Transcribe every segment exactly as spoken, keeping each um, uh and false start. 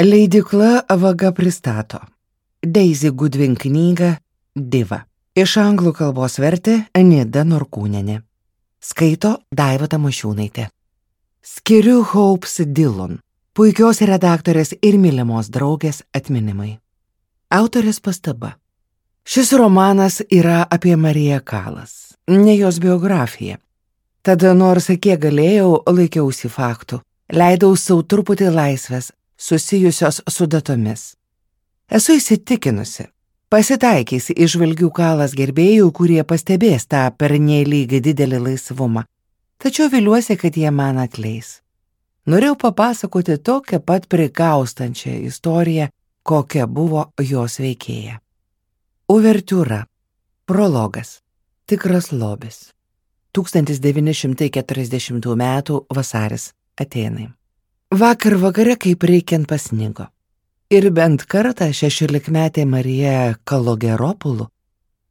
Leidykla Vaga pristato Daisy Goodwin knygą Diva. Iš anglų kalbos vertė Nida Norkūnienė. Skaito Daiva Tamošiūnaitė. Skiriu Hopes Dillon, puikios redaktorės ir mylimos draugės atminimai. Autorės pastaba. Šis romanas yra apie Mariją Kalas, ne jos biografiją. Tada nors kiek galėjau, laikiausi faktų, leidau sau truputį laisvės, susijusios su datomis. Esu įsitikinusi, pasitaikysi įžvalgių Kalas gerbėjų, kurie pastebės tą pernelyg didelį laisvumą, tačiau viliuosi, kad jie man atleis. Norėjau papasakoti tokią pat prikaustančią istoriją, kokia buvo jos veikėja. Uvertiūra. Prologas. Tikras lobis. tūkstantis devyni šimtai keturiasdešimtų metų vasaris. Atėnai. Vakar vakare kaip reikiant pasnigo. Ir bent kartą šešiolikmetė Marija Kalogeropulų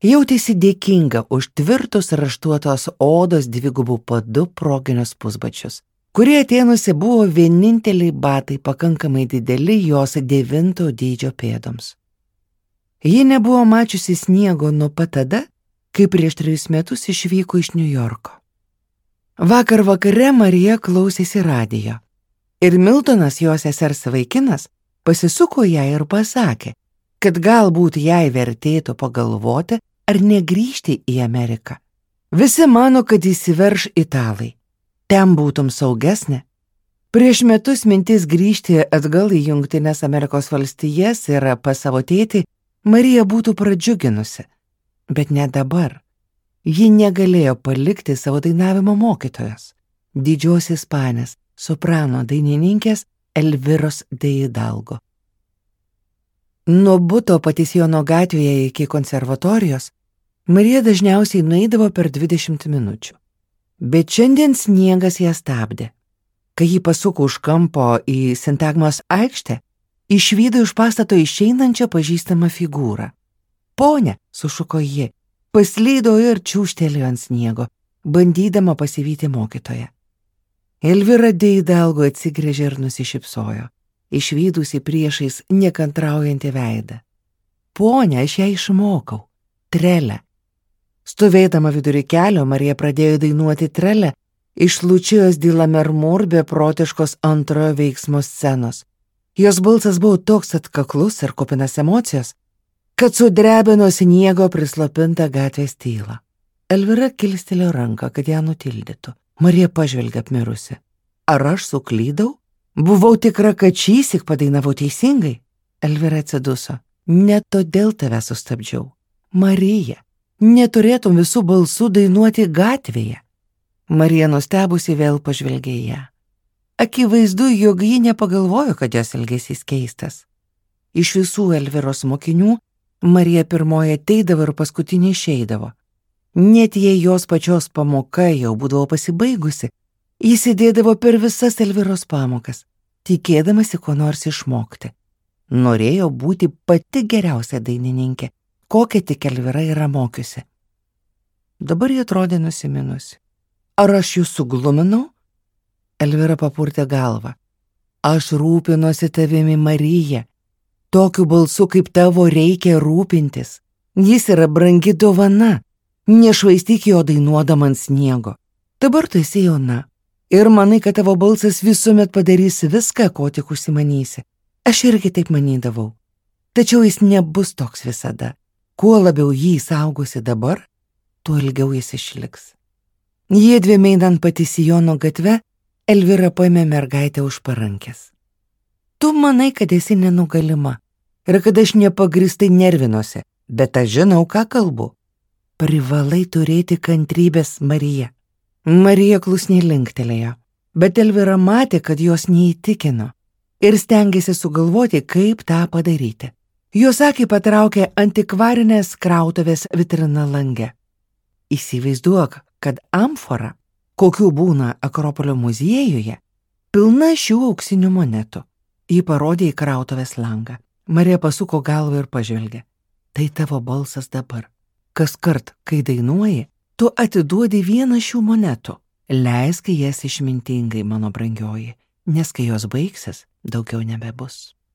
jautėsi dėkinga už tvirtus raštuotos odos dvigubų padu proginius pusbačius, kurie Atėnuose buvo vieninteliai batai pakankamai dideli jos devinto dydžio pėdoms. Ji nebuvo mačiusi sniego nuo pat tada, kai prieš trejus metus išvyko iš Niujorko. Vakar vakare Marija klausėsi radijo. Ir Miltonas, jos sesers vaikinas, pasisuko ją ir pasakė, kad galbūt jai vertėtų pagalvoti, ar negrįžti į Ameriką. Visi mano, kad įsiverš italai. Ten būtum saugesnė. Prieš metus mintis grįžti atgal į Jungtines Amerikos valstijas ir pas savo tėtį Marija būtų pradžiuginusi. Bet ne dabar. Ji negalėjo palikti savo dainavimo mokytojos, didžios ispanės, soprano dainininkės Elviros de Hidalgo. Nuo buto Patisijono gatvėje iki konservatorijos Marija dažniausiai nueidavo per dvidešimt minučių. Bet šiandien sniegas ją stabdė. Kai ji pasuko už kampo į Sintagmos aikštę, išvydo iš pastato išeinančią pažįstamą figūrą. Ponia, sušuko ji, paslydo ir čiūžtelėjo ant sniego, bandydama pasivyti mokytoją. Elvira de Hidalgo atsigręžė ir nusišypsojo, išvydusi priešais nekantraujantį veidą. Ponia, aš ją išmokau. Trelę. Stovėdama vidury kelio, Marija pradėjo dainuoti trelę iš Lučijos di Lammermoor beprotiškos antrojo veiksmo scenos. Jos balsas buvo toks atkaklus ir kupinas emocijos, kad sudrebino sniego prislopintą gatvės tylą. Elvira kilstelėjo ranką, kad ją nutildytų. Marija pažvelgė apmirusi. Ar aš suklydau? Buvau tikra, kad šįsyk padainavau teisingai. Elvira atsiduso. Ne todėl tave sustabdžiau. Marija, neturėtum visų balsų dainuoti gatvėje. Marija nustebusi vėl pažvelgė į ją. Akivaizdu, jog ji nepagalvojo, kad jos elgesys keistas. Iš visų Elviros mokinių Marija pirmoji ateidavo ir paskutinė išeidavo. Net jei jos pačios pamoka jau būdavo pasibaigusi, jis sėdėdavo per visas Elviros pamokas, tikėdamasi ko nors išmokti. Norėjo būti pati geriausia dainininkė, kokią tik Elvira yra mokiusi. Dabar ji atrodė nusiminusi. Ar aš jūs sugluminau? Elvira papurtė galvą. Aš rūpinuosi tavimi, Marija. Tokiu balsu kaip tavo reikia rūpintis. Jis yra brangi dovana. Nešvaistyk jo dainuodama ant sniego. Dabar tu esi jauna. Ir manai, kad tavo balsas visuomet padarys viską, ko tik užsimanysi. Aš irgi taip manydavau. Tačiau jis nebus toks visada. Kuo labiau jį saugosi dabar, tuo ilgiau jis išliks. Jiedviem einant Patisijono gatve, Elvira paėmė mergaitę už parankės. Tu manai, kad esi nenugalima ir kad aš nepagristai nervinuosi, bet aš žinau, ką kalbu. Privalai turėti kantrybės, Marija. Marija klusniai linktelėjo, bet Elvira matė, kad jos neįtikino ir stengėsi sugalvoti, kaip tą padaryti. Jos akį patraukė antikvarinės krautuvės vitrina lange. Įsivaizduok, kad amfora, kokių būna Akropolio muziejuje, pilna šių auksinių monetų. Ji parodė į krautuvės langą. Marija pasuko galvą ir pažvelgė. Tai tavo balsas dabar. Kaskart, kai dainuoji, tu atiduodi vieną šių monetų. Leisk jas išmintingai, mano brangioji, nes kai jos baigsis, daugiau nebebus.